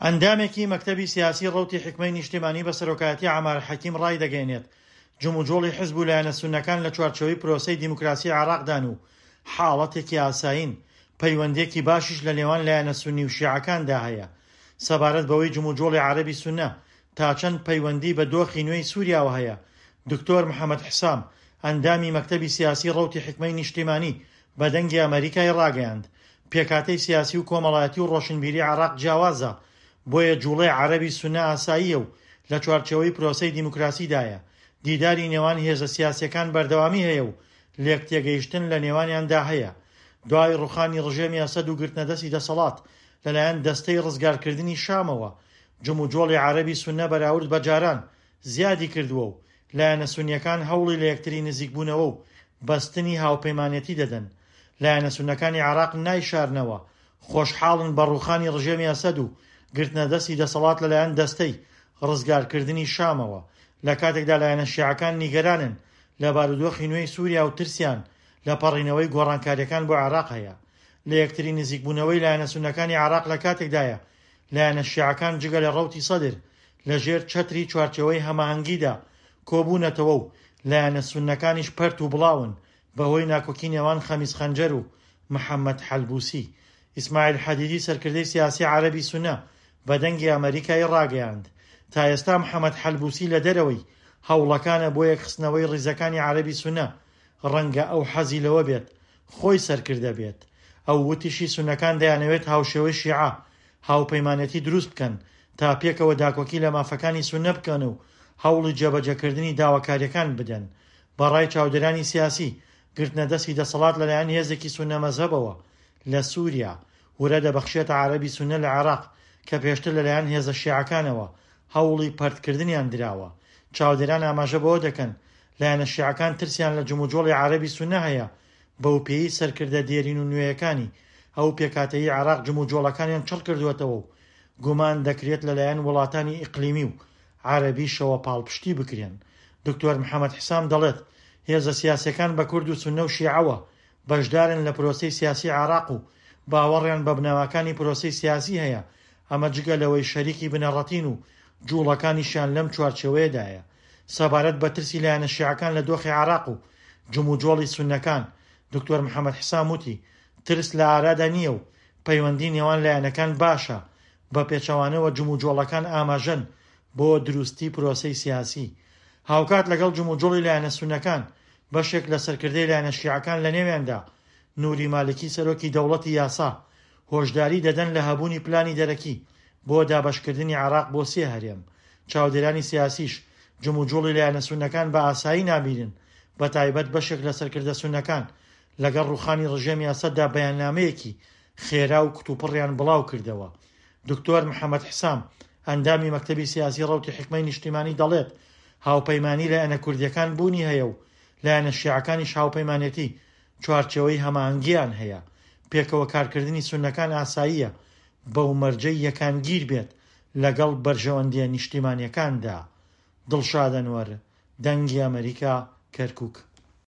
ئەندامێکی مەکتەبی سیاسی ڕەوتی حیکمەی نیشتیمانی بە سەرۆکایەتی عەمار حەکیم ڕایدەگەیەنێت، جموجۆڵی حزب و لایەنە سوننەکان لە چوارچێوەی پرۆسەی دیموکراسی عێراقدان و حاڵەتێکی ئاسایین، پەیوەندییەکی باشیش لە نێوان لایەنە سوننی و شیعەکاندا هەیە. سەبارەت بەوەی جموجۆڵی عەرەبی سوننە تا چەند پەیوەندی بە دۆخی نوێی سوریاوە هەیە، دکتۆر محەمەد حسام، ئەندامی مەکتەبی سیاسی ڕەوتی حیکمەی نیشتیمانی بە دەنگی ئەمەریکای ڕاگەیاند، پێکهاتەی سیاسی و کۆمەڵایەتی و ڕۆشنبیری عێراق جیاوازە، بۆیە جوڵەی عەرەبی سوننە ئاساییە و لە چوارچێوەی پرۆسەی دیموکراسیدایە، دیداری نێوان هێزە سیاسییەکان بەردەوامی هەیە و لێکتێگەیشتن لە نێوانیاندا هەیە. دوای ڕوخانی ڕژێمی ئەسەد و گرتنەدەستی دەسەڵات لەلایەن دەستەی ڕزگارکردنی شامەوە، جموجۆڵی عەرەبی سوننە بەراورد بە جاران زیادی کردووە و لایەنە سوننییەکان هەوڵی لەیەکتری نزیکبوونەوە و بەستنی هاوپەیمانێتی دەدەن. لایەنە سوننەکانی عێراق نایشارنەوە خۆشحاڵن بە ڕووخانی ڕژێمی ئەسەد و گرتنەدەستی دەسەڵات لەلایەن دەستەی ڕزگارکردنی شامەوە، لەکاتێکدا لایەنە شیعەکان نیگەرانن لە بارودۆخی نوێی سووریا و ترسیان لە پەڕینەوەی گۆڕانکارییەکان بۆ عێراق هەیە. لەیەکتری نزیکبوونەوەی لایەنە سوننەکانی عێراق لەکاتێکدایە لایەنە شیعەکان جگە لە ڕەوتی سەدر لەژێر چەتری چوارچێوەی هەماهەنگیدا کۆبوونەتەوە و لایەنە سوننەکانیش پەرت و بڵاون بەهۆی ناکۆکی نێوان خەمیس خەنجەر و محەمەد حەلبوسی. ئیسماعیل حەدیدی سەرکردەی سیاسی عەرەبی سوننە بە دەنگی ئەمەریکای ڕاگەیاند، تا ئێستا محەمەد حەلبوسی لە دەرەوەی هەوڵەکانە بۆ یەکخستنەوەی ڕیزەکانی عەرەبی سوننە، ڕەنگە ئەو حەزی لەوە بێت خۆی سەرکردە بێت. ئەو وتیشی سوننەکان دەیانەوێت هاوشێوەی شیعە هاوپەیمانێتی دروست بکەن تا پێکەوە داکۆکی لە مافەکانی سوننە بکەن و هەوڵی جێبەجێکردنی داواکارییەکان بدەن. بە ڕای چاودێرانی سیاسی، گرتنەدەستی دەسەڵات لەلایەن هێزێکی سوننە مەزهەبەوە لە سوریا، ورە دەبەخشێتە عەرەبی سوننە لە عێراق کە پێشتر لەلایەن هێزە شیعەکانەوە هەوڵی پەرتکردنیان دراوە. چاودێران ئاماژە بەوە دەکەن، لایەنە شیعەکان ترسیان لە جموجۆڵی عەرەبی سوننە هەیە، بەوپێیەی سەرکردە دێرین و نوێیەکانی ئەو پێکهاتەیەی عێراق جموجۆڵەکانیان چڕکردووەتەوە و گومان دەکرێت لەلایەن وڵاتانی ئیقلیمی و عەرەبیشەوە پاڵپشتی بکرێن. دکتۆر محەمەد حسام دەڵێت، هێزە سیاسییەکان بە کورد و سوننە و شیعەوە بەشدارن لە پرۆسەی سیاسی عێراق و باوەڕیان بە بنەماکانی پرۆسەی سیاسی هەیە، ئەمە جگە لەوەی شەریکی بنەڕەتین و جوڵەکانیشیان لەم چوارچێوەیەدایە. سەبارەت بە ترسی لایەنە شیعەکان لە دۆخی عێراق و جموجۆڵی سوننەکان، دکتۆر محەمەد حسام وتی، ترس لە ئارادا نییە و پەیوەندی نێوان لایەنەکان باشە، بە پێچەوانەوە جموجۆڵەکان ئاماژەن بۆ دروستی پرۆسەی سیاسی. هاوکات لەگەڵ جموجوڵی لایەنە سوننەکان، بەشێک لە سەرکردەی لایەنە شیعەکان لەنێویاندا نوری مالکی سەرۆکی دەوڵەتی یاسا، هۆشداری دەدەن لە هەبوونی پلانی دەرەکی بۆ دابەشکردنی عێراق بۆ سێ هەرێم. چاودێرانی سیاسیش جموجوڵی لایەنە سوننەکان بە ئاسایی نابینن، بەتایبەت بەشێک لە سەرکردە سوننەکان لەگەڵ ڕووخانی ڕژێمی ئەسەددا بەیاننامەیەکی خێرا و کتوپڕیان بڵاوکردەوە. دکتۆر محەمەد حسام، ئەندامی مەکتەبی سیاسی ڕەوتی حیکمەی نیشتیمانی دەڵێت، هاوپەیمانی لایەنە کوردییەکان بوونی هەیە و لایەنە شیعەکانیش هاوپەیمانێتی چوارچێوەی هەماهەنگییان هەیە، پێکەوە کارکردنی سوننەکان ئاساییە بەو مەرجەی یەکانگیر بێت لەگەڵ بەرژەوەندییە نیشتیمانییەکاندا. دڵشاد ئەنوەر، دەنگی ئەمەریکا، کەرکوک.